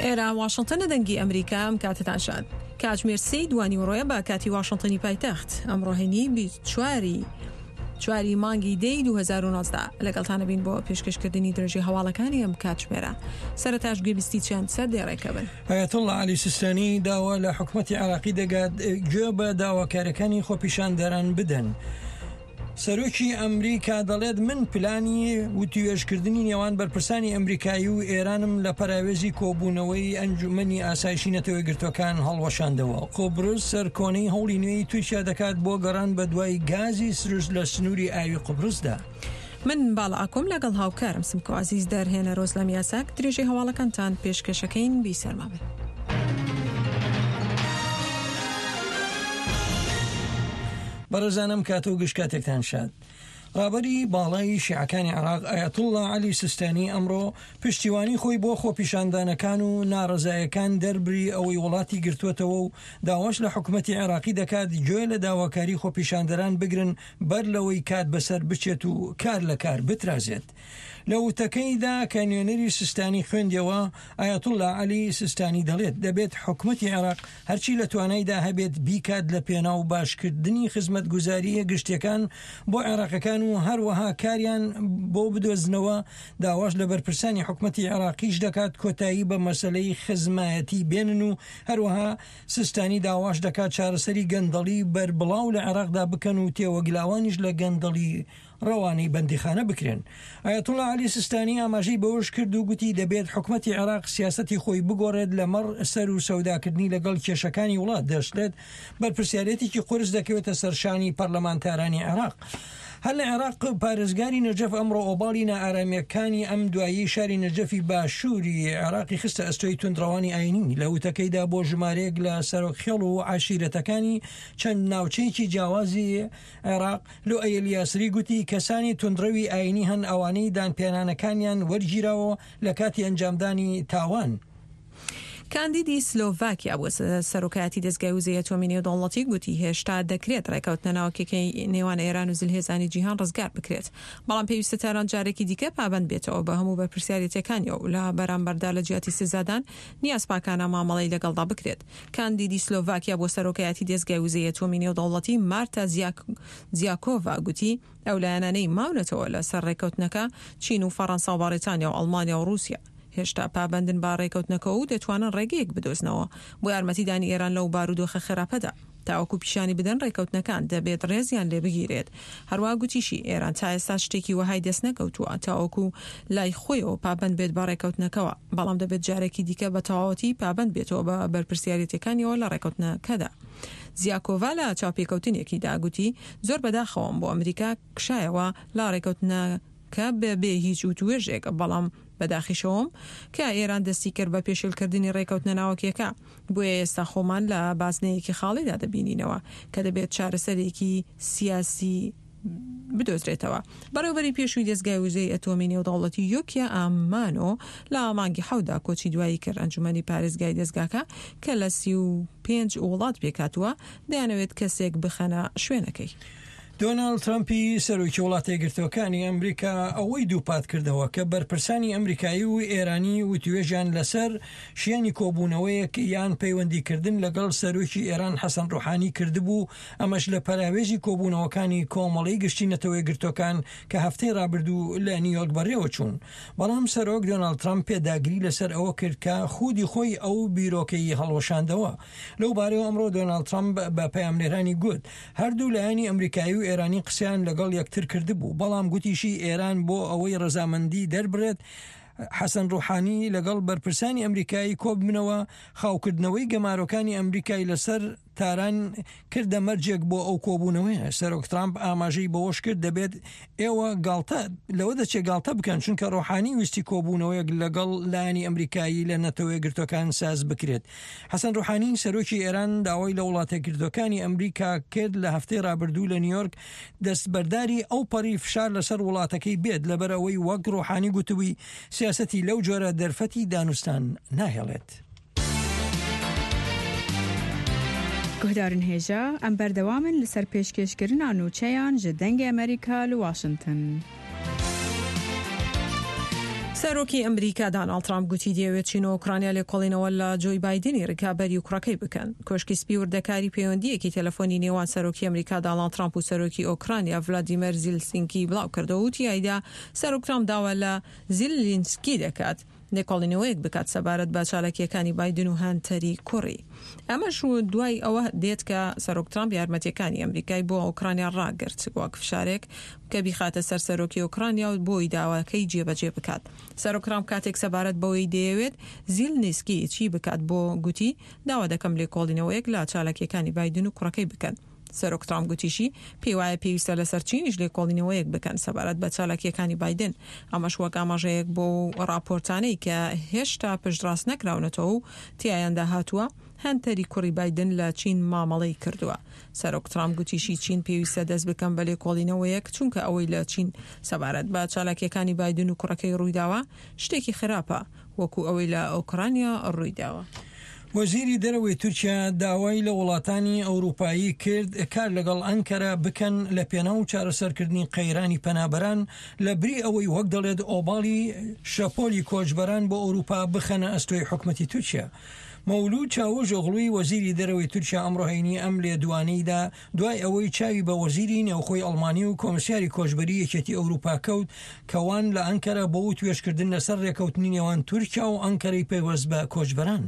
ئێرە واشنتنە دەنگی ئەمریکا ئەم کاتتان شاد. کاتژمێر سێی دوانیوەڕۆیە بە کاتی واشنتنی پایتەخت. ئەمڕۆ هەینی 24 چواری مانگی دەی 2019 لەگەڵتانە بین بۆ پێشکەشکردنی درێژی هەواڵەکانی ئەم کاتژمێرە. سەرەتاش گوێبیستی چەند سەردێڕێکە بن. ئایەتوڵڵا عەلی سیستانی داوا لە حکومەتی عێراقی دەگات گوێ بە داواکاریەکانی خۆپیشاندەران بدەن. سەرۆکی ئەمریکا دەڵێت من پلانی وتوێژکردنی نێوان بەرپرسانی ئەمریکایی و ئێرانم لە پەراوێزی کۆبوونەوەی ئەنجومەنی ئاسایشی نەتەوەیەکگرتووەکان هەڵوەشاندەوە. قوبرس سەرکۆنەی هەوڵی نوێی تورکیا دەکات بۆ گەڕان بەدوای گازی سروشت لە سنووری ئاوی قوبرسدا. من باڵا ئاکۆم لەگەڵ هاوکارم سمکۆ عەزیز دەرهێنەر ئۆزلەم یاساک درێژەی هەواڵەکانتان پێشکەشەکەین بیسەرما بن. بەڕێزان ئەم کاتە و گشت کاتێکتان شاد. ڕابەری باڵای شیعەکانی عێراق ئایەتوڵڵا عەلی سیستانی ئەمڕۆ پشتیوانی خۆی بۆ خۆپیشاندانەکان و ناڕەزایەکان دەربری ئەوەی وڵاتی گرتووەتەوە و داواش لە حکومەتی عێراقی دەکات گوێ لە داواکاری خۆپیشاندەران بگرن بەر لەوەی کات بەسەر بچێت و کار لە کار بترازێت. لە وتەکەیدا کە نوێنەری سیستانی خوێندیەوە، ئایەتوڵڵا عەلی سیستانی دەڵێت، دەبێت حکومەتی عێراق هەرچی لە توانایدا هەبێت بیکات لە پێناو باشکردنی خزمەتگوزارییە گشتیەکان بۆ عێراقیەکان و هەروەها کاریان بۆ بدۆزنەوە، داواش لە بەرپرسانی حکومەتی عێراقیش دەکات کۆتایی بە مەسەلەی خزمایەتی بێنن و هەروەها سیستانی داواش دەکات چارەسەری گەندەڵی بەربڵاو لە عێراقدا بکەن و تێوەگلاوانیش لە گەندەڵی ڕەوانەی بەندیخانە بکرێن. ئایەتوڵا عەلی سیستانی ئاماژەی بەوەش کرد و گوتی دەبێت حکومەتی عێراق سیاسەتی خۆی بگۆڕێت لەمەڕ سەر و سەوداکردنی لەگەڵ کێشەکانی وڵات، دەشڵێت بەرپرسیارێتێکی قورس دەکەوێتە سەر شانی پەرلەمانتارانی عێراق. هەر لە عێراق پارێزگاری نەجەف ئەمڕۆ ئۆباڵی نائارامییەکانی ئەم دواییەی شاری نەجەفی باشووری عێراقی خستە ئەستۆی توندڕەوانی ئایینی لە وتەکەیدا بۆ ژمارەیەک لە سەرۆک خێڵ و عەشیرەتەکانی چەند ناوچەیەکی جیاوازی عێراق لوئەی الیاسری گوتی کەسانی توندڕەوی ئایینی هەن ئەوانەی دانپیانانەکانیان وەرگیراوە لە کاتی ئەنجامدانی تاوان. کاندیدی سلۆڤاکیا بۆ سەرۆکایەتی دەزگای وزەی ئەتۆمی نێودەوڵەتی گوتی هێشتا دەکرێت ڕێکەوتنە ناوکیەکەی نێوان ئێران و زلهێزانی جیهان ڕزگار بکرێت، بەڵام پێویستە تاران جارێکی دیکە پابەند بێتەوە بە هەموو بەرپرسیارێتیەکانیەوە و لە بەرامبەردا لە جیاتی سزادان نیازپاکانە مامەڵەی لەگەڵدا بکرێت. کاندیدی سلۆڤاکیا بۆ سەرۆکایەتی دەزگای وزەی ئەتۆمی نێودەوڵەتی مارتا زیاکۆڤا گوتی ئەو لایەنانەی ماونەتەوە لەسەر ڕێککەوتنەکە چین و فەڕەنسا و بەڕیتانیا و ئەڵمانیا و ڕووسیا هێشتا پابەندن بە ڕێکەوتنەکەوە و دەتوانن ڕێگەیەک بدۆزنەوە بۆ یارمەتیدانی ئێران لەو بارودۆخە خراپەدا تاوەکو پیشانی بدەن ڕێکەوتنەکان دەبێت ڕێزیان لێ بگیرێت. هەروا گوتیشی ئێران تا ئێستا شتێکی وەهای دەستنەکەوتووە تاوەکو لای خۆیەوە پابەند بێت بە ڕێکەوتنەکەوە، بەڵام دەبێت جارێکی دیکە بە تەواوەتی پابەند بێتەوە بە بەرپرسیارێتیەکانیەوە لە ڕێکەوتنەکەدا. زیاکۆڤا لە چاوپێکەوتنێکیدا گوتی زۆر بەداخەوەم بۆ ئەمریکا کشایەوە لە ڕێکەوتنەکە بە بێ هیچ وتوێژێک، بەڵام بەداخیشەوەم کە ئێران دەستی کرد بە پێشێلکردنی ڕێکەوتنە ناوەکیەکە. بۆیە ئێستا خۆمان لە بازنەیەکی خاڵیدا دەبینینەوە کە دەبێت چارەسەرێکی سیاسی بدۆزرێتەوە. بەڕێوەبەری پێشووی دەزگای وزەی ئەتۆمی نێودەوڵەتی یۆکیا ئامانۆ لە مانگی حەوتدا کۆچی دوایی کرد. ئەنجومەنی پارێزگای دەزگاکە کە لە 35 وڵات پێکهاتووە، دەیانەوێت کەسێک بخەنە شوێنەکەی. دۆناڵد ترەمپی سەرۆکی وڵاتە یەکگرتووەکانی ئەمریکا ئەوەی دووپات کردەوە کە بەرپرسانی ئەمریکایی و ئێرانی وتوێژیان لەسەر شیانی کۆبوونەوەیەک یان پەیوەندیکردن لەگەڵ سەرۆکی ئێران حەسەن ڕۆحانی کردبوو، ئەمەش لە پەراوێزی کۆبوونەوەکانی کۆمەڵەی گشتی نەتەوە یەکگرتووەکان کە هەفتەی ڕابردوو لە نیویۆرک بەڕێوەچوون. بەڵام سەرۆک دۆناڵد ترەمپ پێداگری لەسەر ئەوە کرد کە خودی خۆی ئەو بیرۆکەی هەڵوەشاندەوە. لەو بارەیەوە ئەمڕۆ دۆناڵد ترەمپ بە پەیامنێرانی گوت، هەردوو لایەنی ئەمریکایی و ئێرانی قسەیان لەگەڵ یەکتر کردبوو، بەڵام گوتیشی ئێران بۆ ئەوەی ڕەزامەندی دەربرێت حەسەن ڕوحانی لەگەڵ بەرپرسانی ئەمریکایی کۆببنەوە، خاوکردنەوەی گەمارۆکانی ئەمریکای لەسەر تاران کردە مەرجێک بۆ ئەو کۆبوونەوەیە. سەرۆک ترامپ ئاماژەی بەوەش کرد دەبێت ئێوە گاڵتە لەوە دەچێت گاڵتە بکەن چونکە ڕۆحانی ویستی کۆبوونەوەیەک لەگەڵ لایەنی ئەمریکایی لە نەتەوە یەکگرتووەکان ساز بکرێت. حەسەن ڕوحانی سەرۆکی ئێران داوای لە وڵاتەیەکگرتووەکانی ئەمریکا کرد لە هەفتەی ڕابردوو لە نیویۆرک دەستبەرداری ئەو پەڕی فشار لەسەر وڵاتەکەی بێت لەبەر ئەوەی وەک ڕۆحانی گوتبووی سیاسەتی لەو جۆرە دەرفەتی دانوستان ناهێڵێت. گوهدارن هێژا، ئەم بەردەوامن لەسەر پێشکێشکردنا نوچەیان ژ دەنگێ ئەمریکا لە واشنتن. سەرۆکی ئەمریکا داناڵد ترامپ گوتی دەیەوێت چین و ئۆکرانیا لێکۆڵینەوە لە جۆی بایدنی رکابەری و کوڕەکەی بکەن. کۆشکی سپی وردەکاری پەیوەندییەکی تەلەفۆنی نێوان سەرۆکی ئەمریکا داناڵد ترامپ و سەرۆکی ئۆکرانیا ڤلادیمێر زیلسینکی بڵاوکردەوە و تیایدا سەرۆک ترامپ داوا لە زیلینسکی دەکات لێکۆڵینەوەیەک بکات سەبارەت بە چالاکییەکانی بایدن و هەنتەری کوڕی. ئەمەش دوای ئەوە دێت کە سەرۆک ترامپ یارمەتییەکانی ئەمریکای بۆ ئۆکرانیا ڕاگرت وەک فشارێک کە بیخاتە سەر سەرۆکی ئۆکرانیا و بۆی داواکەی جێبەجێ بکات. سەرۆک ترامپ کاتێک سەبارەت بەوەی دەیەوێت زیلنیسکی چی بکات بۆ گوتی، داوا دەکەم لێکۆڵینەوەیەک لە چالاکییەکانی بایدن و کوڕەکەی بکەن. سەرۆک ترامپ گوتیشی، پێیوایە پێویستە لەسەر چینیش لێکۆڵینەوەیەک بکەن سەبارەت بە چالاکییەکانی بایدن، ئەمەش وەک ئاماژەیەک بۆ ڕاپۆرتانەی کە هێشتا پشتڕاست نەکراونەتەوە و تیایاندا هاتووە هەنتەری کوڕی بایدن لە چین مامەڵەی کردووە. سەرۆک ترامپ گوتیشی، چین پێویستە دەست بکەن بە لێکۆڵینەوەیەک، چونکە ئەوەی لە چین سەبارەت بە چالاکییەکانی بایدن و کوڕەکەی ڕوویداوە، شتێکی خراپە. وەکو ئەوەی لە ئۆکرانیا ڕوویداوە. وەزیری دەرەوەی تورکیا داوای لە وڵاتانی ئەوروپایی کرد کار لەگەڵ ئەنکەرە بکەن لە پێناو چارەسەرکردنی قەیرانی پەنابەران لە بری ئەوەی وەک دەڵێت ئۆباڵی شەپۆلی کۆچبەران بۆ ئەوروپا بخەنە ئەستۆی حکومەتی تورکیا. مەولود چاوشئۆغڵوی وەزیری دەرەوەی تورکیا ئەمڕۆ هەینی ئەم لێدوانەی دا دوای ئەوەی چاوی بە وەزیری نێوخۆی ئەڵمانی و کۆمسیاری کۆچبەری یەکێتی ئەوروپا کەوت کە وان لە ئەنکەرە بۆ وتوێژکردن لەسەر رێکەوتنی نێوان تورکیا و ئەنکەرەی پەیوەست بە کۆچبەران.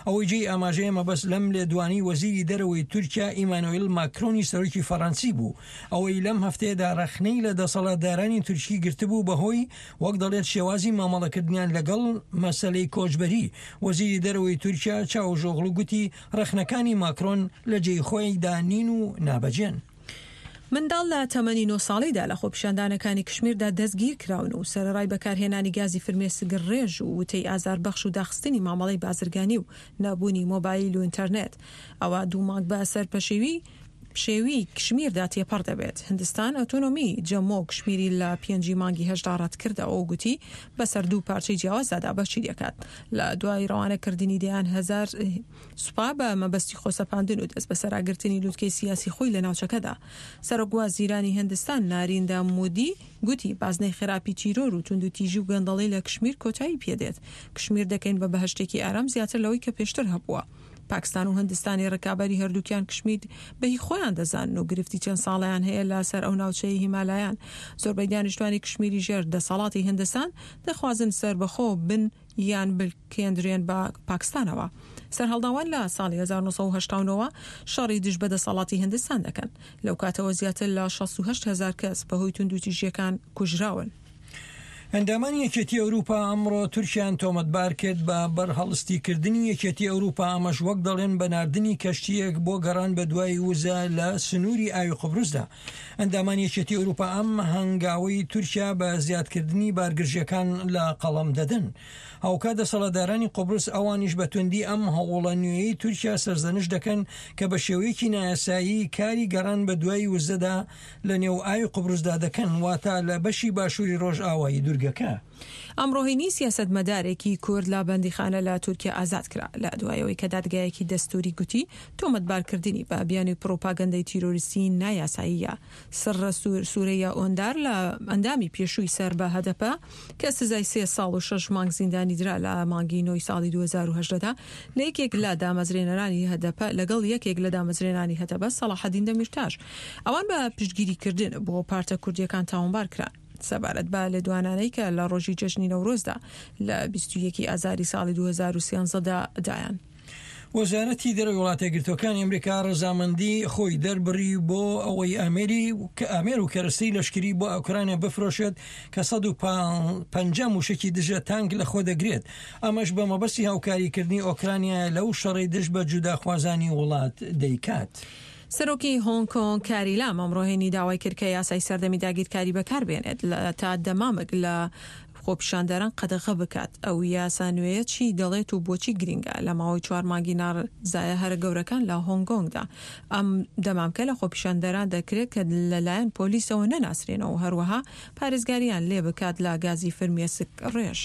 ئەوەی جێی ئاماژەیە مەبەست لەم لێدوانەی وەزیری دەرەوەی تورکیا ئیمانۆیل ماکرۆنی سەرۆکی فەرەنسی بوو ئەوەی لەم هەفتەیەدا رەخنەی لە دەسەڵاتدارانی تورکی گرتبوو بەهۆی وەک دەڵێت شێوازی مامەڵەکردنیان لەگەڵ مەسەلەی کۆچبەری. وەزیری دەرەوەی تورکیا چاوشئۆغڵو گوتی ڕەخنەکانی ماکرۆن لە جێی خۆیدا نین و نابەجێن. منداڵ لە تەمەنی نۆ ساڵیدا لە خۆپیشاندانەکانی کشمیردا دەستگیرکراون و سەرەڕای بەکارهێنانی گازی فرمێسکڕێژ و وتەی ئازاربەخش و داخستنی مامەڵەی بازرگانی و نەبوونی مۆبایل و ئینتەرنێت ئەوا دوو مانگ بە سەر پەشێوی پشێوی کشمیردا تێپەڕ دەبێت. هندستان ئۆتۆنۆمی جەمۆ و کشمیری لە پێنجی مانگی هەشتدا ڕەتکردەوە و گوتی بەسەر دوو پارچەی جیاوازدا دابەشی دەکات. لە دوای ڕەوانەکردنی دەیان هەزار سوپا بە مەبەستی خۆسەپاندن و دەستبەسەراگرتنی لوتکەی سیاسی خۆی لە ناوچەکەدا. سەرۆکوەزیرانی هندستان ناریندا مودی گوتی بازنەی خراپی تیرۆر و توندوتیژی و گەندەڵی لە کشمیر کۆتایی پێدێت. کشمیر دەکەین بە بەهەشتێکی ئارام زیاتر لەوەی کە پێشتر هەبووە. پاکستان و هندستانی ڕکابەری هەردووکیان کشمیر بە هی خۆیان دەزانن و گرفتی چەند ساڵەیان هەیە لە سەر ئەو ناوچەیەی هیمالایان. زۆربەی دانیشتوانی کشمیری ژێر دەسەڵاتی هندستان دەخوازن سەربەخۆ بن یان بلکێندرێن بە پاکستانەوە. سەرهەڵداوان لە ساڵی 1989 وە شەڕی دژ بە دەسەڵاتی هندستان دەکەن. لەو کاتەوە زیاتر لە 68 هەزار کەس بەهۆی توندوتیژییەکان کوژراون. ئەندامانی یەکێتی ئەوروپا ئەمڕۆ تورکیان تۆمەتبار کرد بە بەرهەڵستیکردنی یەکێتی ئەوروپا ئەمەش وەک دەڵێن بە ناردنی کەشتییەک بۆ گەڕان بە دوای وزە لە سنووری ئاوی قوبرسدا. ئەندامانی یەکێتی ئەوروپا ئەم هەنگاوەی تورکیا بە زیادکردنی بارگرژیەکان لە قەڵەم دەدەن. هاوکات دەسەڵاتدارانی قوبرس ئەوانیش بە توندی ئەم هەوڵە نوێیەی تورکیا سەرزەنشت دەکەن کە بە شێوەیەکی نایاسایی کاری گەڕان بە دوای وزەدا لە نێو ئاوی قوبرسدا دەکەن، واتە لە بەشی باشووری ڕۆژئاوایی دوورگەکە. ئەمڕۆ هەینی سیاسەتمەدارێکی کورد لە بەندیخانە لە تورکیا ئازاد کرا، لە دوای ئەوەی کە دادگایەکی دەستووری گوتی تۆمەتبارکردنی بە بیانووی پڕوپاگەندەی تیرۆریستی نایاساییە. سڕ سورەیا ئۆندار لە ئەندامی پێشووی سەر بە هەدەپە کە سزای سێ ساڵ و شەش مانگ زیندانی درا لە مانگی نۆی ساڵی 2018 دا لە یەکێک لە دامەزرێنەرانی هەدەپە لەگەڵ یەکێک لە دامەزرێنانی هەدەپە سەڵاحەدین دەمیرتاش ئەوان بە پشتگیریکردن بۆ پارتە کوردییەکان تاوانبار کران. سەبارەت بە لێدوانانەی کە لە ڕۆژی جەژنی نەورۆزدا لە 21 ی ئازاری ساڵی 2013 دا دایان. وەزارەتی دەرەوەی وڵاتە یەکگرتووەکانی ئەمریکا ڕەزامەندی خۆی دەربڕی بۆ ئەوەی ئامێری ئامێر و کەرەستەی لەشکری بۆ ئۆکرانیا بفرۆشێت کە 150 موشکی دژە تانک لەخۆ دەگرێت ئەمەش بە مەبەستی هاوکاریکردنی ئۆکرانیا لەو شەڕەی دژ بە جوداخوازانی وڵات دەیکات. سەرۆکی هۆنگ کۆنگ کاری لام ئەمڕۆ هەینی داوای کرد کە یاسای سەردەمی داگیرکاری بەکاربێنێت تا دەمامک لە خۆپیشاندەران قەدەغە بکات. ئەو یاسا نوێیە چی دەڵێت و بۆچی گرینگە؟ لە ماوەی چوار مانگی ناڕەزایە هەرە گەورەکان لە هۆنگ کۆنگدا ئەم دەمامکە لە خۆپیشاندەران دەکرێت کە لەلایەن پۆلیسەوە نەناسرێنەوە و هەروەها پارێزگارییان لێ بکات لە گازی فرمێسک ڕێژ.